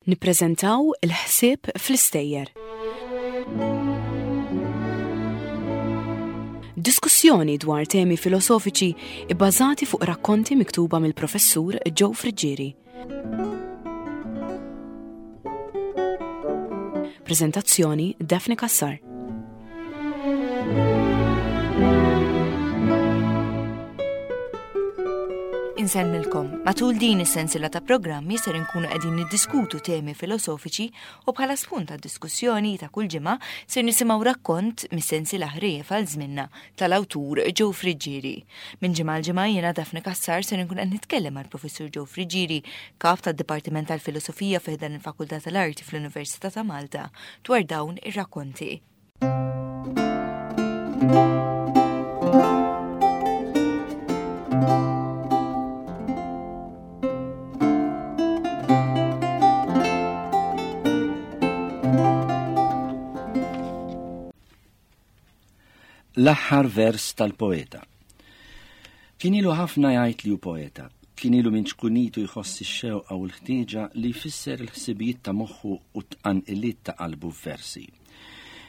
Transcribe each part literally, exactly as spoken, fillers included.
Nippreżentaw il-ħsieb fl-istejjer. Diskussjoni dwar temi filosofiċi ibbażati fuq rakkonti miktuba mill-professur Joe Friggieri. Prezentazzjoni Daphne Cassar. Insellmilkom, matul din is-sensiela ta' programmi ser inkunu qegħdin niddiskutu temi filosofiċi u bħala spunt ta' diskussjoni ta' kull ġimgħa ser nisimgħu rakkont mis-sensiela ħrejjef għal żminna tal-awtur Joe Friggieri. Minn ġimgħa għal ġimgħa jiena Daphne Cassar ser inkun qed nitkellem mal-Professur Joe Friggieri, kap tad-Dipartiment tal-Filosofija fi ħdan il-Fakultà tal-Arti fl-Università ta' Malta, dwar dawn ir-rakkonti. L-aħħar vers tal-poeta. Kien ilu ħafna jgħid li hu poeta. Kien ilu minn ċkunitu jħoss ix-xewqa u l-ħtieġa li jfisser il-ħsibijiet ta' moħħu u t-tqanqiliet ta' qalbu f'versi.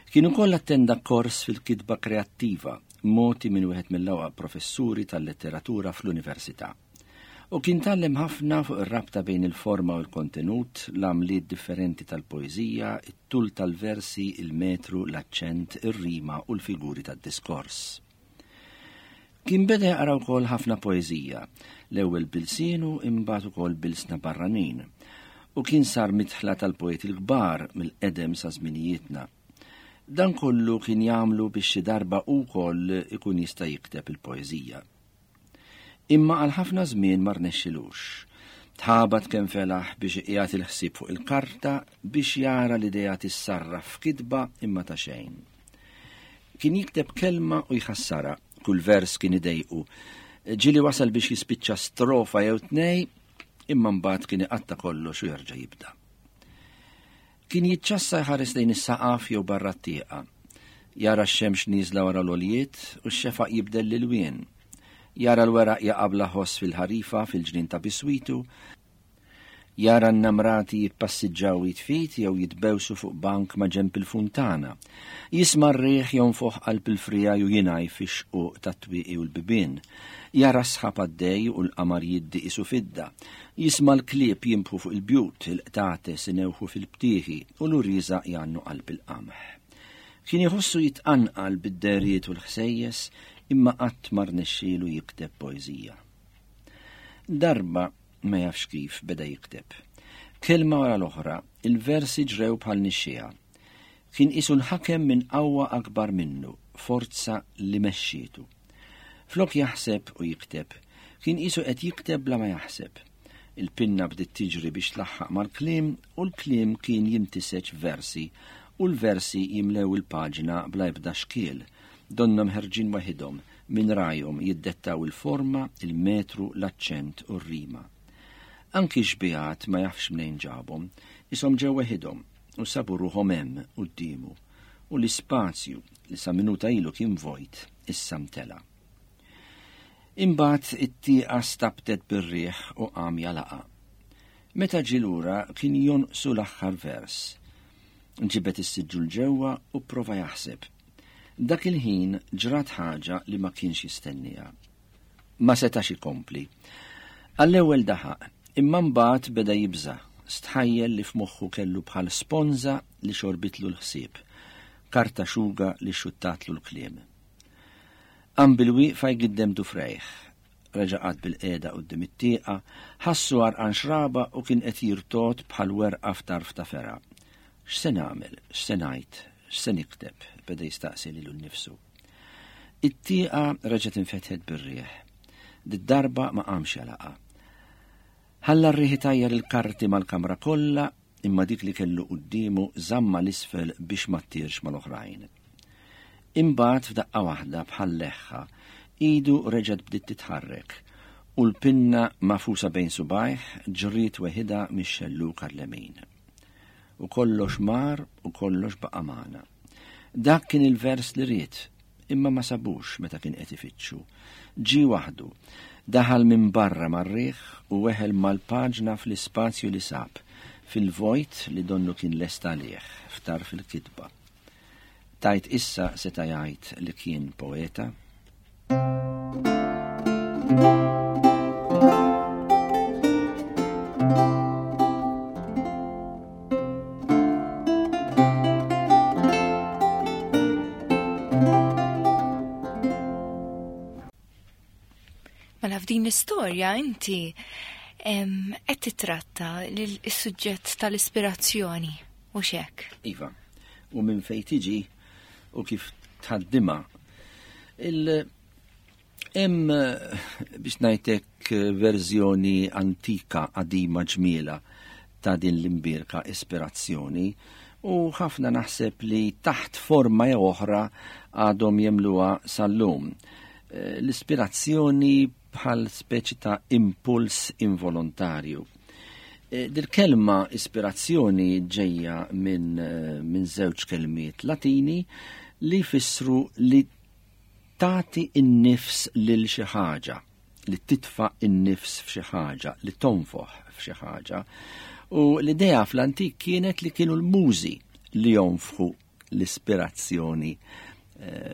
Kien ukoll attenda kors fil-kitba kreattiva, mogħti minn wieħed mill-ewwel professuri tal-letteratura fl-università. U kien tgħallem ħafna fuq ir-rabta bejn il-forma u l-kontenut, l-għamliet differenti tal-poeżija, it-tul tal-versi, il-metru, l-aċċent, ir-rima u l-figuri tad-diskors. Kien beda jaqra wkoll ħafna poeżija, l-ewwel bilsienu imbagħad ukoll bilsna barranin, u kien sar midħla tal-poeti l-kbar mill-qedem sa żminijietna. Dan kollu kien jagħmlu biex xi darba wkoll ikun jista' jikteb il-poeżija. Imma għal ħafna żmien ma rnexxilux. Tħabat kemm felaħ biex iqiegħed il-ħsieb fuq il-karta biex jara l-idea tissarraf f'kitba imma ta' xejn. Kien jikteb kelma u jħassarha, kull vers kien idejqu. Ġieli wasal biex jispiċċa strofa jew tnej, imma mbagħad kien iqatta' kollox u jerġa' jibda. Kien jiċċassa jħares lejn is-saqaf jew barra t-tieqa. Jara x-xemx nieżla wara l-għoljiet u x-xefaq jibdel l-ilwien. Jara l-weraq jaqa' bla ħoss fil-ħarifa fil-ġnien ta' biswitu, jara n-namrati jitpassiġġaw jitfit jew jitbewsu fuq bank ma' ġenb il-funtana, jisma' r-riħ jonfoħ qalb il-frija u jingħaj fix-xquq tat-twieqi u l-bibien, jara s-sħab għaddej u l-qamar jiddi qisu fidda, jisma' l-klieb jinbħu fuq il-bjut, il-qtates inewħu fil-btieħi u l-uriża jgħannu qalb il-qamħ. Kien iħossu jitqanqal bid-deriet u l-ħsejjes imma qatt ma rnexxielu jikteb poeżija. Darba ma jafx kif beda jikteb. Kelma wara l-oħra, il-versi ġrew bħal nixxieha. Kien qisu nħakem minn qawwa akbar minnu, forza li mexxietu. Flok jaħseb u jikteb, kien qisu qed jikteb bla ma jaħseb. Il-pinna bdiet tiġri biex tlaħħaq mal-kliem u l-kliem kien jintiseġ versi u l-versi jimlew il-paġna bla ebda xkiel. Donnhom ħerġin waħidhom minn rajhom jiddettaw il-forma, il-metru, l-aċċent u r-rima. Anki xbihat ma jafx mnejn ġabhom, ishom ġew waħidhom u sabu ruħhom hemm quddiemu u l-ispazju li sa minuta ilu kien vojt issa mtela. Imbagħad it-tieqa stabtet bir-riħ u qam jalaqa. Meta ġie lura kien jonqsu l-aħħar vers. Ġibet is-siġġu l ġewwa u pprova jaħseb. Dak il-ħin ġrat ħaġa li ma kienx jistenniha. Ma setax ikompli. Għall-ewwel daħaq, imma mbagħad beda jibża', stħajjel li f'moħħu kellu bħal sponża li xorbitlu l-ħsieb, karta xuga li xuttatlu l-kliem. Qam bil-wieqfa jgiddem dufrejh, reġa' qagħad bil-qiegħda quddiem it-tieqa, ħassu għarqan xraba u kien qed jirtod bħal werqa f'tarf ta' fergħa. X'se nagħmel, x'se ngħid, x'se nikteb, beda jistaqsi lilu nnifsu. It-tieqa reġgħet infetħet bir-riħ. Did-darba ma qamx jalaqa. Ħalla r-riħ itajjar il-karti mal-kamra kollha, imma dik li kellu quddiemu żamma l-isfel biex ma ttirx mal-oħrajn. Imbagħad f'daqqa waħda bħal leħħa, idu reġgħet bdiet titħarrek u l-pinna mafusa bejn subajh ġriet weħidha mix-xelluk għall-lemin. U kollox mar u kollox baqa' magħna. Dak kien il-vers li ried, imma ma sabux meta kien qed ifittxu. Ġie waħdu, daħal minn barra mar-riħ u weħel mal-paġna fl-ispazju li sab, fil-vojt li donnu kien lest għalih f'tarf il-kitba. Tajt issa seta' jgħid li kien poeta. Mela f'din l-istorja inti qed titratta l-suġġett tal-ispirazzjoni u xek. Iva, u minn fejn tiġi u kif tħaddimha. Hemm biex ngħidlek verżjoni antika qadima ġmiela ta' din l-imbierka ispirazzjoni u ħafna naħseb li taħt forma jew oħra għadhom jemluha sal-lum. L-ispirazzjoni bħal speċi ta' impuls involontarju. Dil-kelma ispirazzjoni ġejja minn min żewġ kelmiet Latini li jfissru li tagħti n-nifs lil xi ħaġa, li titfa' n-nifs f'xi ħaġa, li tonfoħ f'xi ħaġa. U l-idea fl-antik kienet li kienu l-mużi li jonfħu l-ispirazzjoni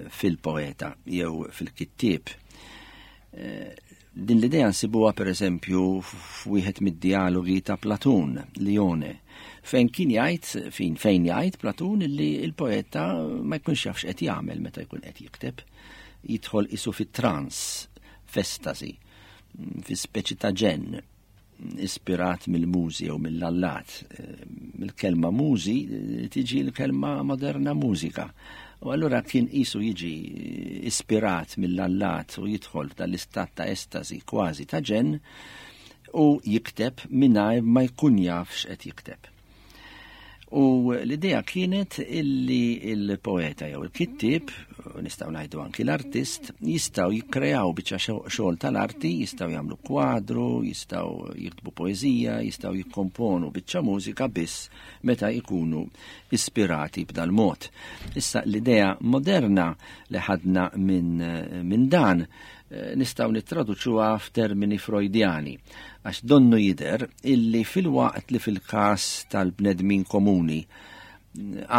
fil-poeta jew fil-kittieb. Din l-idea nsibuha pereżempju f'wieħed mid-dialogi ta' Platun, Lione, fejn kien jgħid, fejn fejn jgħid Platun li l-poeta ma jkunx jaf x'qed jagħmel meta jkun qed jikteb, jidħol isu fit-trans, f'estasi, fi speċi ta' ġenn, ispirat mill-mużi jew mill-allat. Mill-kelma mużi tiġi l-kelma moderna mużika. U allura kien isu jiġi ispirat mill-allat u jidħol f'dan l-istat ta' estasi kważi ta' ġenn u jikteb mingħajr ma jkun jaf x'qed jikteb. U l-idea kienet illi il-poeta jew il-kittieb, nistgħu ngħidu anki l-artist, jistgħu jikkreaw biċċa xogħol tal-arti, jistgħu jagħmlu kwadru, jistgħu jiktbu poeżija, jistgħu jikkomponu biċċa mużika biss meta jkunu ispirati b'dal mod. Issa l-idea moderna li ħadna minn min dan nistgħu nittraduċuha f'termini Freudjani, għax donnu jidher illi fil-waqt li fil-każ tal-bnedmin komuni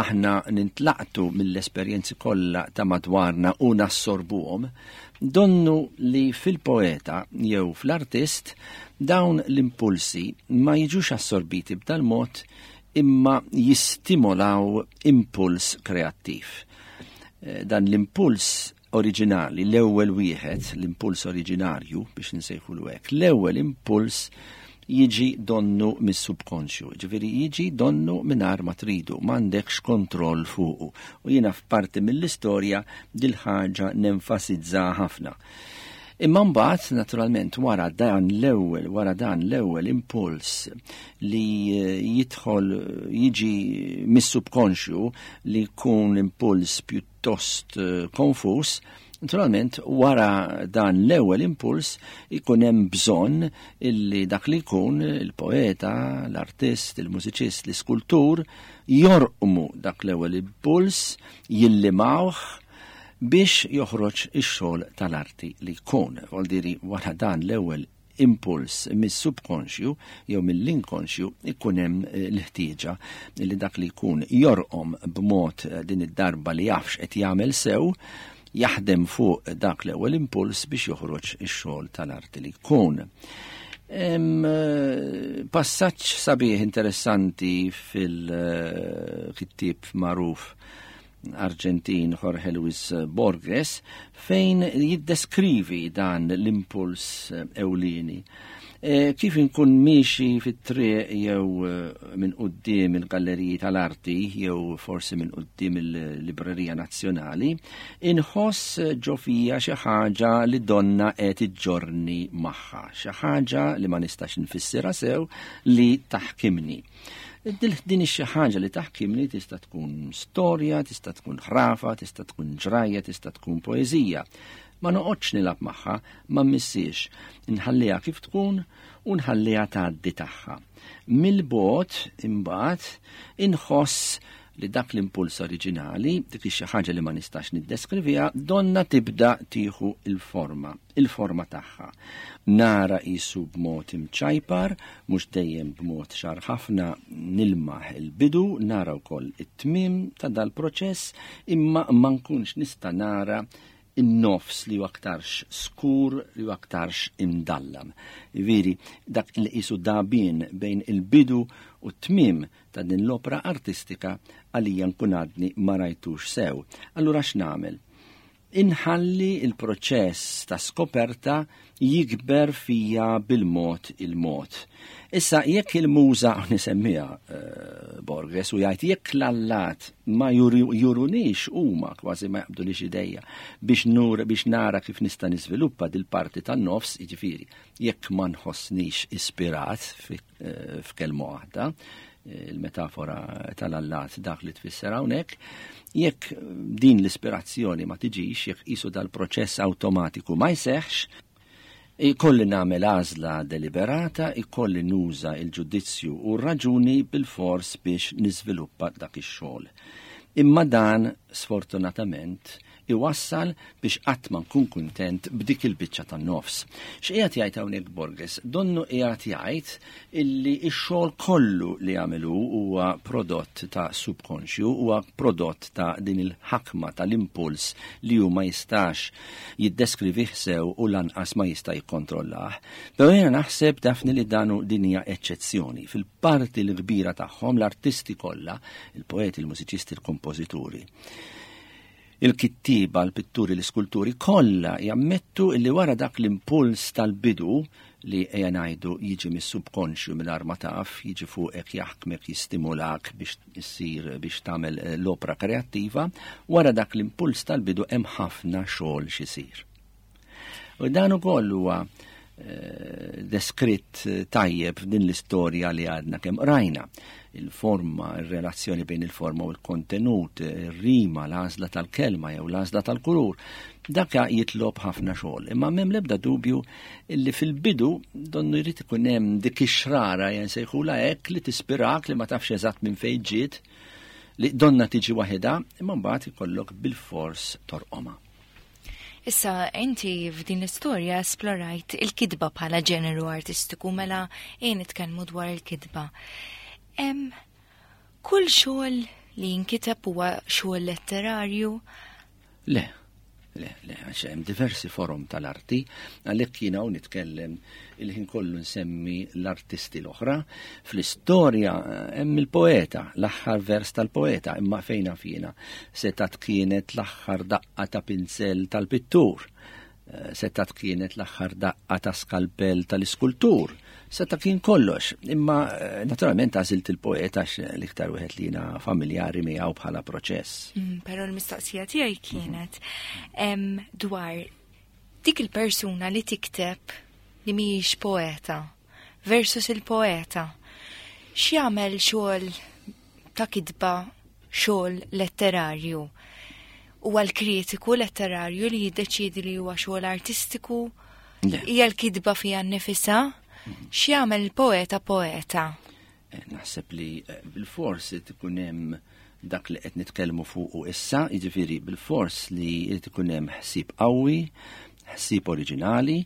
aħna nintlaqtu mill-esperjenzi kollha ta' madwarna u nassorbuhom, donnu li fil-poeta jew fl-artist dawn l-impulsi ma jiġux assorbiti b'dal mod imma jistimolaw impuls kreattiv. Dan l-impuls oriġinali, l-ewwel wieħed, l-impuls oriġinarju biex nsejħulu hekk, l-ewwel impuls jiġi donnu mis-subkonxju, ġifieri jiġi donnu mingħajr ma tridu, m'għandekx kontroll fuqu. U jiena f'parti mill-istorja dil-ħaġa nenfasizza ħafna. Imma mbagħad naturalment wara dan l-ewwel, wara dan l-ewwel impuls li jidħol jiġi mis-subkonxju li jkun impuls pjuttost konfus, naturalment wara dan l-ewwel impuls ikun hemm bżonn illi dak li jkun il-poeta, l-artist, il-mużiċist, l-iskultur jorqmu dak l-ewwel impuls, jillimawh biex joħroġ ix-xogħol tal-arti li jkun. Vuol dire wara dan l-ewwel impuls mis-subkonxju jew mill-inkonxju ikun hemm l-ħtieġa li dak li jkun jorqom b'mod din id-darba li jafx qed jagħmel sew, jaħdem fuq dak l-ewwel impuls biex joħroġ ix-xogħol tal-arti li jkun. Passaġġ sabiħ interessanti fil-kittieb magħruf Arġentin Jorge Luis Borges fejn jiddeskrivi dan l-impuls ewlieni. E, kif inkun miexi fit-triq jew minn quddiem il-galleriji tal-arti jew forsi minn quddiem il-Librerija Nazzjonali, inħoss ġo fija xi ħaġa li donna qed iġġorni magħha, xi ħaġa li ma nistax nfissirha sew li taħkimni. Din xi ħaġa li taħkimni tista' tkun storja, tista' tkun ħrafa, tista' tkun ġrajja, tista' tkun poeżija. Ma noqgħodx nilgħab magħha, ma mmissiex, nħalliha kif tkun u nħalliha tgħaddi tagħha. Mill-bogħod imbagħad inħoss li dak l-impuls oriġinali, dik xi ħaġa li ma nistax niddeskriviha, donna tibda tieħu il-forma, il-forma tagħha. Nara qisu b'mod imċajpar, mhux dejjem b'mod ċar ħafna nilmaħ il-bidu, nara wkoll it-tmiem ta' dal-proċess, imma ma nkunx nista' nara in-nofs li aktarx skur, li aktarx imdallam. Veri, dak li qisu dabien bejn il-bidu u t-tmiem ta' din l-opera artistika għalija nkun għadni ma rajtux sew. Allura x'nagħmel? Inħalli il-proċess ta' skoperta jikber fija bil-mod il-mod. Issa jekk il-muża nisemmiha uh, Borges u jgħid jekk l-allat ma jurunix huma kważi ma jaqbdulix idejja biex nur biex nara kif nista' niżviluppa dil-parti tan-nofs, jiġifieri jekk ma nħossnix ispirat f'kelma waħda, il-metafora tal-allat dak li tfisser hawnhekk, jekk din l-ispirazzjoni ma tiġix, jekk qisu dal-proċess awtomatiku ma jseħħx, ikolli nagħmel għażla deliberata, ikolli nuża il-ġudizzju u r-raġuni bil-fors biex niżviluppa dak ix-xogħol. Imma dan, sfortunatament, iwassal biex qatt ma nkun kuntent b'dik il-biċċa tan-nofs. X'qiegħed jgħid hawnhekk Borges? Donnu qiegħed jgħid illi x-xogħol kollu li għamelu huwa prodott ta' subkonxju, huwa prodott ta' din il-ħakma tal-impuls li hu ma jistax jiddeskrivih sew u lanqas ma jista' jikkontrollah. Però jiena naħseb, Daphne, li danu din hija eċċezzjoni. Fil-parti l-kbira tagħhom l-artisti kollha, il-poeti, il-mużiċisti, il-kompożituri, il-kittiba, l-pitturi, l-iskulturi, kollha jammettu illi wara dak l-impuls tal-bidu li ejja ngħidu jiġi mis-subkonxju mingħajr ma taf, jiġi fuqek, jaħkmek, jistimulak biex issir, biex tagħmel l-opra kreattiva, wara dak l-impuls tal-bidu hemm ħafna xogħol x'isir. U dan ukoll huwa eh, deskritt tajjeb f'din l-istorja li għadna kemm rajna. Il-forma, il-relazzjoni bejn il-forma u l-kontenut, il-rima, l-għażla tal-kelma jew l-għażla tal-kulur, dak jitlob ħafna xogħol. Imma m'hemm l-ebda dubju illi fil-bidu donnu jrid ikun hemm dik ix-xrara nsejħulha hekk li tispirak li ma tafx eżatt minn fejn ġiet, li donna tiġi waħedha, imma mbagħad ikollok bil-fors torqomha. Issa, inti f'din l-istorja esplorajt il-kitba bħala ġeneru artistiku, mela ejja nitkellmu dwar il-kitba. Em, kull xogħol li jinkiteb huwa xogħol letterarju? Le, le, le, għax hemm diversi forom tal-arti, għalhekk jiena hawn nitkellem il-ħin kollu nsemmi l-artisti l-oħra. Fl-istorja hemm il-poeta, l-aħħar vers tal-poeta, imma fejna fina setat kienet l-aħħar daqqa ta' pinsel tal-pittur, setat kienet l-aħħar daqqa ta' skalpell tal-iskultur, seta kien kollox. Imma naturalment għażilt il-poeta għax l-iktar wieħed li jiena familjari miegħu bħala proċess. Mm, però l-mistoqsija tiegħi kienet em, dwar dik il-persuna li tikteb li mhijiex poeta versus il-poeta. X'jagħmel xogħol ta' kitba, xogħol letterarju? Huwa l-kritiku letterarju li jiddeċiedi li huwa xogħol artistiku? Le. Hija l-kitba fiha nnifisha? X'jagħmel il-poeta poeta? Eh, naħseb li, eh, bil-fors ikun hemm dak li qed nitkellmu fuqu issa, jiġifieri bil-fors li jrid ikun hemm ħsieb qawwi, ħsieb oriġinali,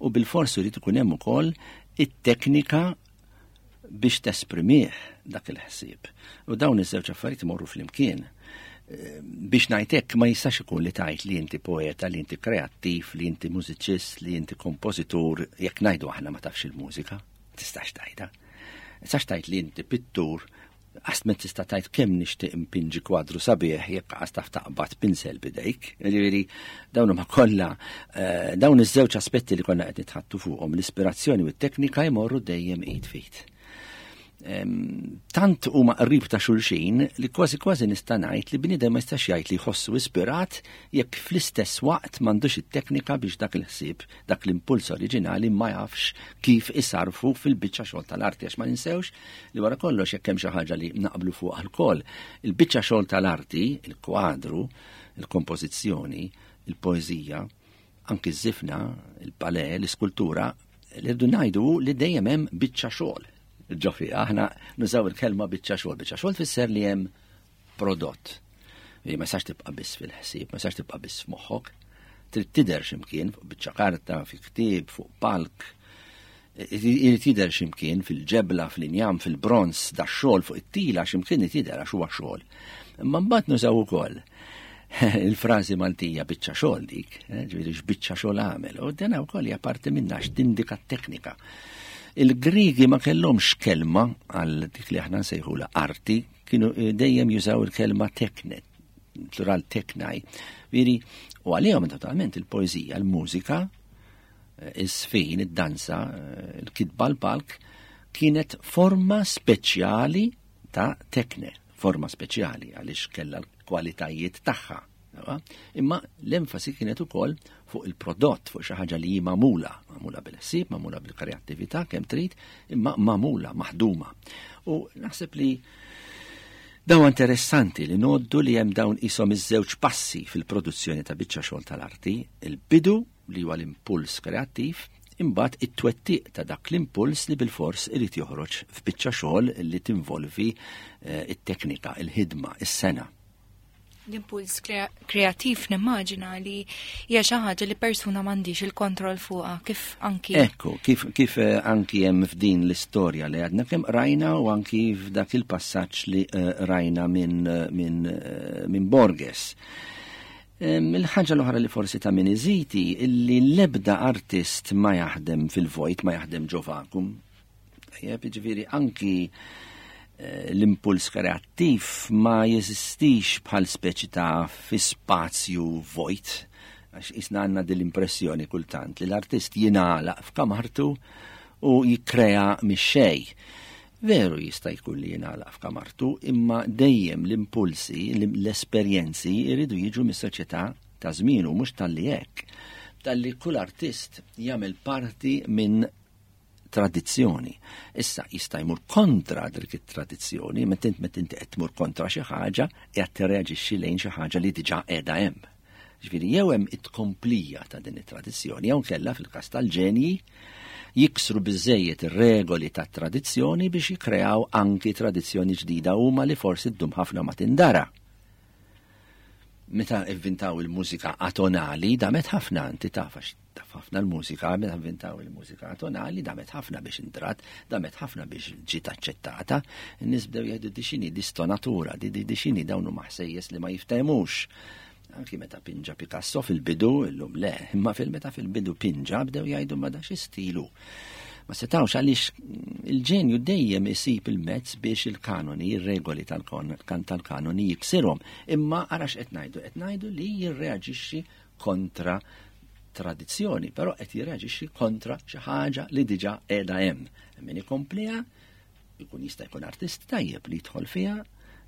u bil-fors irid ikun hemm ukoll it-teknika biex tesprimih dak il-ħsieb. U dawn iż-żewġ affarijiet imorru flimkien. Eh, biex ngħidlek ma jistax ikun li tgħid li inti poeta, li inti kreattiv, li inti mużiċist, li inti kompożitur, jekk ngħidu aħna ma tafx il-mużika, ma tistax tgħidha. Tistax tgħid li inti pittur, għast ma tista' tgħid kemm nixtieq impinġi kwadru sabiħ jekk għast taf taqbad pinsel bidejk. Jiġifieri dawn huma kollha, eh, dawn iż-żewġ aspetti li konna qed nitħattu fuqhom, l-ispirazzjoni u t-teknika jmorru dejjem id f'id. Em, tant huma qrib ta' xulxin li kważi kważi nista' ngħid li bniedem ma jistax jgħid li jħossu ispirat jekk fl-istess waqt m'għandux it-teknika biex dak il-ħsieb, dak l-impuls oriġinali ma jafx kif isarfu fil-biċċa xogħol tal-arti, għax ma ninsewx li wara kollox jekk hemm xi ħaġa li naqblu fuq alkoll, il-biċċa xogħol tal-arti, il-kwadru, il-kompożizzjoni, il-poeżija, anki ż-żifna, il-ballet, l-iskultura, li rridu ngħidu li dejjem hemm biċċa xogħol. Ġofi, aħna nużaw il-kelma biċċa xogħol. Biċċa xogħol tfisser li hemm prodott. Ma jistax tibqa' biss fil-ħsieb, ma jistax tibqa' biss f'moħħok. Trid tidher x'imkien fuq biċċa karta, fi ktieb, fuq palk. Irid jidher x'imkien fil-ġebla, fl-injam, fil-bronz, da xogħol fuq it-tila x'imkien irid jidher għax huwa xogħol. Imma mbagħad nużaw ukoll il-frażi Maltija biċċa xogħol dik, eh, ġifieri x'biċċa xogħol għamel, u dena wkoll hija parti minnha x'tindika t-teknika. Il-Grigi ma kellhomx kelma għal dik li aħna nsejħula arti, kienu eh, dejjem jużaw il-kelma tekne, plural teknai. Viri, u għalihom totalment il-poeżija, il-mużika, eh, is-sfin, id-danza, il-kitba l-palk, kienet forma speċjali ta' tekne, forma speċjali għaliex kellha l-kwalitajiet tagħha. Imma l-enfasi kienet ukoll fuq il-prodott, fuq xi ħaġa li hi magħmula, magħmula bil-ħsieb, magħmula bil-kreattività kemm trid, imma magħmula, maħduma. U naħseb li dawn interessanti li noddu li hemm dawn isom iż-żewġ passi fil-produzzjoni ta' biċċa xogħol tal-arti, il-bidu li huwa l-impuls kreattiv, imbagħad it-twettiq ta' dak l-impuls li bil-fors irid joħroġ f'biċċa xogħol li tinvolvi eh, it-teknika, il-ħidma, is-sena. L-impuls kreattiv nimmaġina li hija xi ħaġa li persuna m'għandix il-kontroll fuqha kif anki. Ekku, kif, kif eh, anki hemm f'din l-istorja li għadna kemm rajna u anki f'dak il-passaġġ li uh, rajna minn min, uh, min Borges. Il-ħaġa l-oħra li forsi ta' min iżidi illi l-ebda artist ma jaħdem fil-vojt, ma jaħdem ġo vakum. Tajjeb, jiġifieri anki eh, l-impuls kreattiv ma jeżistix bħal speċi ta' fi spazju vojt, għax isna għandna dil-impressjoni kultant li l-artist jingħalaq f'kamartu u jikkrea mix-xejn. Veru jista' jkun li jingħalaq f'kamartu, imma dejjem l-impulsi, l-esperjenzi jridu jiġu mis-soċjetà ta' żmienu, mhux talli hekk. Talli kull artist jagħmel parti minn tradizzjoni. Issa jista' jmur kontra dik it-tradizzjoni, meta int meta inti qed tmur kontra xi ħaġa, qiegħed tirreaġixxi lejn xi ħaġa li diġà qiegħda hemm. Ġifieri jew hemm it-tkomplija ta' din it-tradizzjoni, jew kellha fil-każ tal-ġenji jiksru biżejjed ir-regoli tat-tradizzjoni biex jikkreaw anki tradizzjoni ġdida huma li forsi ddum ħafna ma tindara. Meta ivvintaw il-mużika atonali, damet ħafna, inti taf għax taf ħafna l-mużika, meta ivvintaw il-mużika atonali, damet ħafna biex intrat, damet ħafna biex ġiet aċċettata. In-nies bdew jgħidu di x'inhi, di stonatura, di di x'inhi dawn huma ħsejjes li ma jiftehmux. Anki meta pinġa Picasso fil-bidu, illum le, imma fil-meta fil-bidu pinġa bdew jgħidu ma da xi stilu. Ma setawx għaliex il-ġenju dejjem isib il-mezz biex il-kanoni, ir-regoli tal-kanoni jiksirhom. Imma ara x'qed ngħidu, qed ngħidu li jirreaġixxi kontra tradizzjoni, però qed jirreaġixxi kontra xi ħaġa li diġà qiegħda hemm. Min ikompliha jkun jista' jkun artist tajjeb li jidħol fiha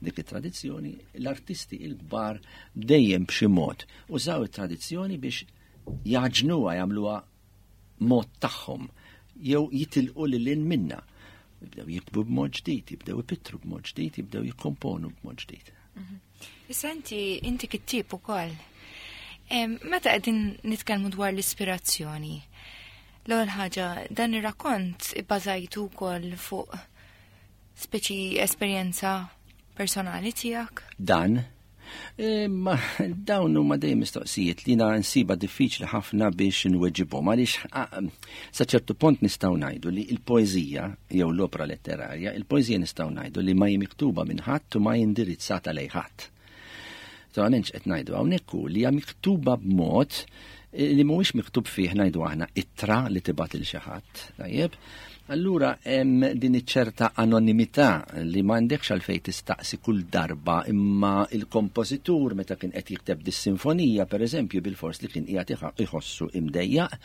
dik it-tradizzjoni, l-artisti il-kbar dejjem b'xi mod użaw it-tradizzjoni biex jaġnuha, jagħmluha mod tagħhom, jew jitilqu lil hinn minna. Jibdew jiktbu b'mod ġdid, jibdew ipittru b'mod ġdid, jibdew jikkomponu b'mod ġdid. Issa inti, inti kittieb ukoll. Meta qegħdin nitkellmu dwar l-ispirazzjoni, l-ewwel ħaġa dan ir-rakkont ibbażajtu wkoll fuq speċi esperjenza personali tiegħek? Dan? Ma dawn huma dejjem mistoqsijiet li na nsiba diffiċli ħafna biex nweġibhom għaliex sa ċertu punt nistgħu ngħidu li l-poeżija jew l-opra letterarja, il-poeżija nistgħu ngħidu li ma hi miktuba minn ħadd u ma hi indirizzata lejn ħadd. Naturalment x'qed ngħidu hawnhekk hu li hija miktuba b'mod li mhuwiex miktub fih ngħidu aħna ittra li tibgħat lil xi ħadd, tajjeb? Allura hemm din iċ-ċerta anonimità li m'għandekx għalfejn tistaqsi kull darba, imma il-kompożitur meta kien qed jikteb dis-sinfonija pereżempju bil-fors li kien qiegħed iħossu imdejjaq.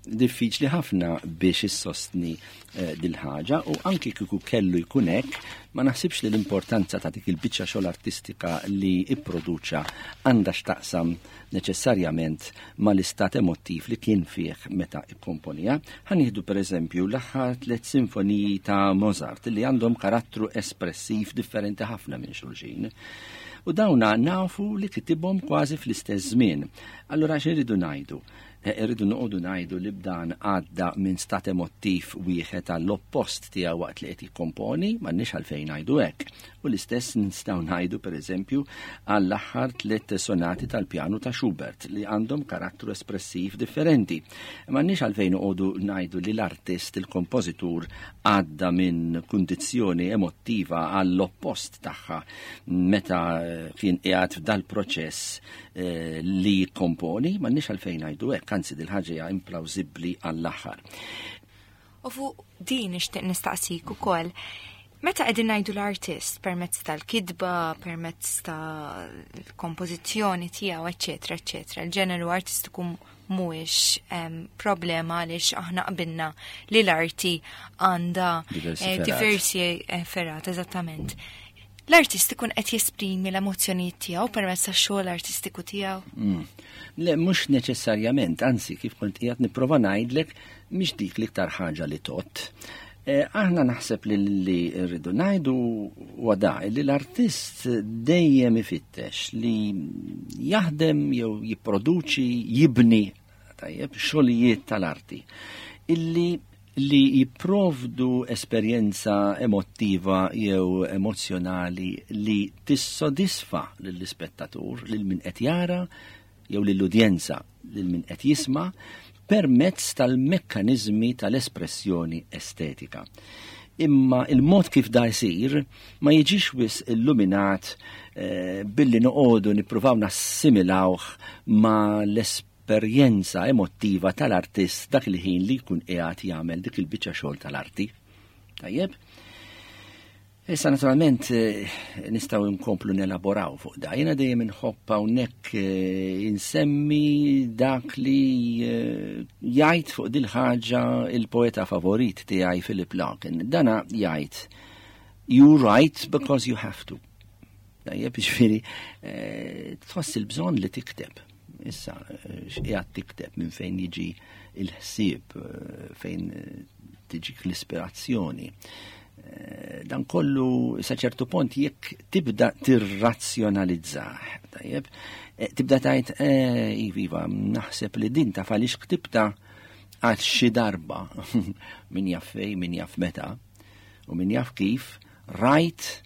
Diffiċli ħafna biex issostni, eh, dil-ħaġa, u anki kieku kellu jkun hekk, ma naħsibx li l-importanza ta' dik il-biċċa xogħol artistika li ipproduċa għandha x'taqsam neċessarjament mal-istat emottiv li kien fih meta ikkomponija. Ħa nieħdu pereżempju l-aħħar tliet sinfoniji ta' Mozart li għandhom karattru espressiv differenti ħafna minn xulxin. U dawna nafu li kitibhom kważi fl-istess żmien. Allura x'iridu ngħidu? Irridu noqogħdu ngħidu li b'dan għadda minn stat emottiv wieħed għall-oppost tiegħu waqt li qed jikkomponi, m'għandniex għalfejn ngħidu hekk. U l-istess nistgħu ngħidu pereżempju għall-aħħar tliet sonati tal-pjanu ta' Schubert li għandhom karattru espressiv differenti. M'għandniex għalfejn noqogħdu ngħidu li l-artist, il-kompożitur għadda minn kundizzjoni emottiva għall-oppost tagħha meta kien qiegħed f'dal-proċess eh, li jikkomponi, m'għandniex għalfejn ngħidu hekk, anzi dil-ħaġa hija implawsibbli għall-aħħar. U fuq din nixtieq nistaqsik ukoll. Meta qegħdin ngħidu l-artist permezz tal-kitba, permezz tal-kompożizzjoni tiegħu, eċetera, eċetera, il-ġeneru artistiku mhuwiex em, problema għaliex aħna qbilna li l-arti għandha Diversi eh, fergħat. diversi eh, fergħat, eżattament. L-artist ikun qed jesprimi l-emozzjonijiet tiegħu permezz tax-xogħol artistiku tiegħu. Mm. Le, mhux neċessarjament, anzi, kif kont qiegħed nipprova ngħidlek, mhix dik l-iktar ħaġa li tot. Eh, aħna naħseb li li rridu ngħidu huwa da li l-artist dejjem ifittex li jaħdem jew jipproduċi, jibni tajjeb xogħlijiet tal-arti illi li jipprovdu esperjenza emottiva jew emozzjonali li tissodisfa lill-ispettatur, lil min qed jara jew lill-udjenza, lil min qed jisma' permezz tal-mekkaniżmi tal-espressjoni estetika. Imma il-mod kif da jsir ma jiġix wisq illuminat eh, billi noqogħdu nippruvaw nassimilawh ma l-esperjenza emottiva tal-artist dak il-ħin li jkun qiegħed jagħmel dik il-biċċa xogħol tal-arti. Tajjeb? Issa naturalment eh, nistgħu nkomplu nelaboraw fuq da. Jiena dejjem inħobb hawnhekk eh, insemmi dak li eh, jgħid fuq dil ħaġa il-poeta favorit tiegħi Philip Larkin. Dana jgħid you write because you have to. Tajjeb, ġifieri eh, tħoss il-bżonn li tikteb. Issa, eh, x'qiegħed tikteb minn fejn jiġi il-ħsieb, eh, fejn eh, tiġik l-ispirazzjoni. Eh, Dan kollu sa ċertu punt jekk tibda tirrazzjonalizzah, tajjeb, eh, tibda tgħid, eh, iva, iva, naħseb li din taf għaliex ktibta għal xi darba min jaf fej, min jaf meta, u min jaf kif, rajt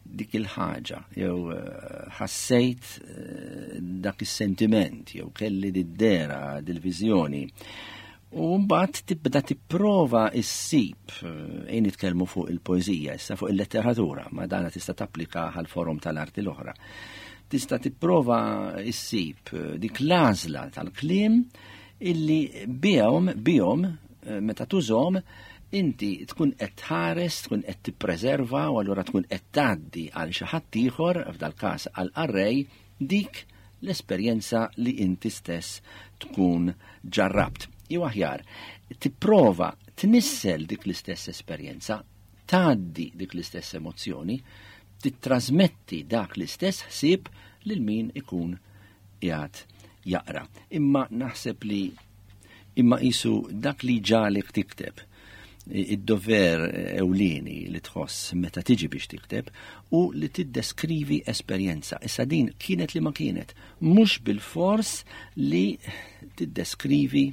dik il-ħaġa, jew eh, ħassejt eh, dak is-sentiment, jew kelli did-dera, dil-viżjoni. U mbagħad tibda tipprova issib, eh, ejn nitkellmu fuq il-poeżija, issa fuq il-letteratura, ma dana tista' tapplika għal forom tal-arti l-oħra. Tista' tipprova issib eh, dik l-għażla tal-kliem illi bihom bihom eh, meta tużhom inti tkun qed tħares, tkun qed tippreserva u allura tkun qed tgħaddi għal xi ħadd ieħor f'dal każ għal qarrej dik l-esperjenza li inti stess tkun ġarrabt. Jew aħjar, tipprova tnissel dik l-istess esperjenza, tgħaddi dik l-istess emozzjoni, titrasmetti dak l-istess ħsieb lil min ikun qiegħed jaqra. Imma naħseb li imma qisu dak li ġagħlek tikteb id-dover ewlieni li tħoss meta tiġi biex tikteb u li tiddeskrivi esperjenza. Issa din kienet li ma kienet, mhux bil-fors li tiddeskrivi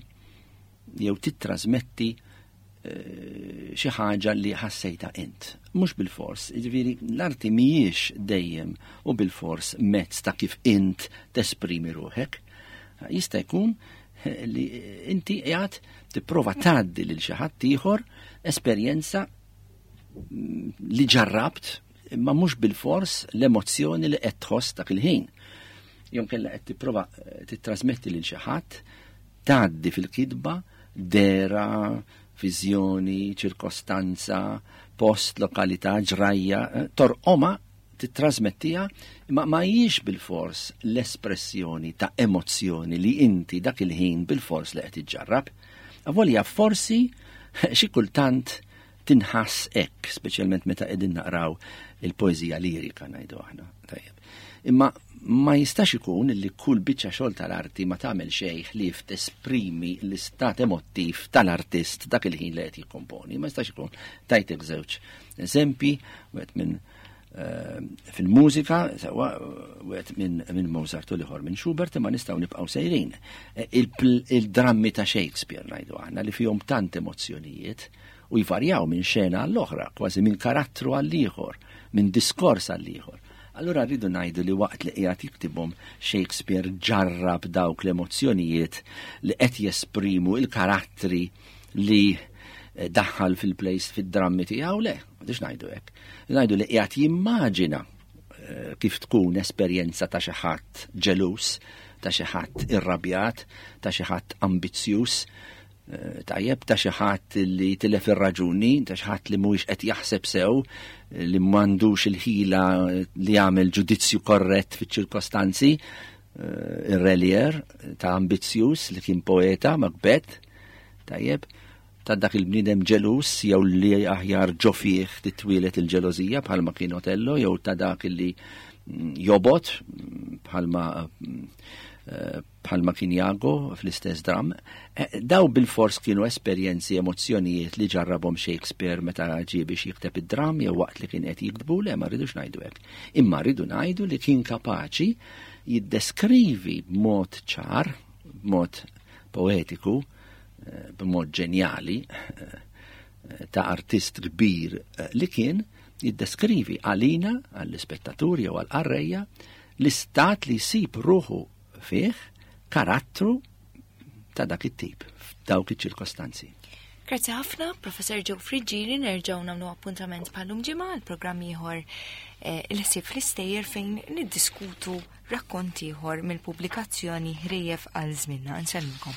jew titrasmetti eh, xi ħaġa li ħassejta int. Mhux bil-fors, jiġifieri l-arti mhijiex dejjem u bil-fors mezz ta' kif int tesprimi ruħek. Jista' jkun li inti qiegħed tipprova tgħaddi lil xi ħadd ieħor esperjenza mm, li ġarrabt imma mhux bil-fors l-emozzjoni li qed tħoss dak il-ħin. Jew inkella qed tipprova eh, titrasmetti lil xi ħadd tgħaddi fil-kitba dera, viżjoni, ċirkostanza, post, lokalità, ġrajja, eh, torqoma titrasmettija, imma ma hijiex bil-fors l-espressjoni ta' emozzjoni li inti dak il-ħin bil-fors li qed iġġarrab. Avolja forsi xi kultant tinħass hekk, speċjalment meta qegħdin naqraw il-poeżija lirika ngħidu aħna. Tajjeb. Imma ma jistax ikun li kull biċċa xogħol tal-arti ma tagħmel xejn ħlief tesprimi l-istat emottiv tal-artist dak il-ħin li qed jikkomponi. Ma jistax ikun. Tajtek żewġ eżempji, wieħed minn eh, fil-mużika, sewwa wieħed minn min Mozart u l-ieħor minn Schubert, imma nistgħu nibqgħu sejrin. Eh, il-drammi ta' Shakespeare ngħidu aħna li fihom tant emozzjonijiet u jvarjaw minn xena għall-oħra, kważi minn karattru għall-ieħor, minn diskors għall-ieħor. Allura rridu ngħidu li waqt li qiegħed jiktibhom Shakespeare ġarrab dawk l-emozzjonijiet li qed jesprimu il-karattri li eh, daħħal fil-plays fid-drammi tiegħu le, m'għandix ngħidu hekk. Ngħidu li qiegħed jimmaġina eh, kif tkun esperjenza ta' xi ħadd ġelus, ta' xi ħadd irrabjat, ta' xi ħadd ambizzjuż, eh, tajjeb ta' xi ħadd li tilef ir-raġuni, ta' xi ħadd li mhuwiex qed jaħseb sew, li m'għandux il-ħila li jagħmel ġudizzju korrett fiċ-ċirkostanzi, eh, ir-Re Lear ta' ambizzjuż li kien poeta Macbeth, tajjeb, ta' dak il-bniedem ġelus jew li aħjar ġo fih titwieled il-ġelożija bħalma kien Otello jew ta' dak li mm, jobgħod mm, bħalma mm, eh, bħalma kien Jago fl-istess dram. Eh, daw bil-fors kienu esperjenzi, emozzjonijiet li ġarrabhom Shakespeare meta ġie biex jikteb id-dram jew waqt li kien qed jiktbu, le ma rridux ngħidu hekk. Imma rridu ngħidu li kien kapaċi jiddeskrivi b'mod ċar, b'mod poetiku, eh, b'mod ġenjali, eh, ta' artist kbir li kien jiddeskrivi għalina, għall-ispettaturi jew għall-qarrejja, l-istat li jsib ruħu fih karattru ta' dak it-tip, f'dawk iċ-ċirkostanzi. Grazzi ħafna, Professor Joe Friggieri, nerġgħu nagħmlu appuntament bħal-lum ġimgħa għal programm ieħor eh, il-ħsieb fl-istejjer fejn niddiskutu rakkont ieħor mill-pubblikazzjoni Ħrejjef għal Żmienna. Nsellmilkom.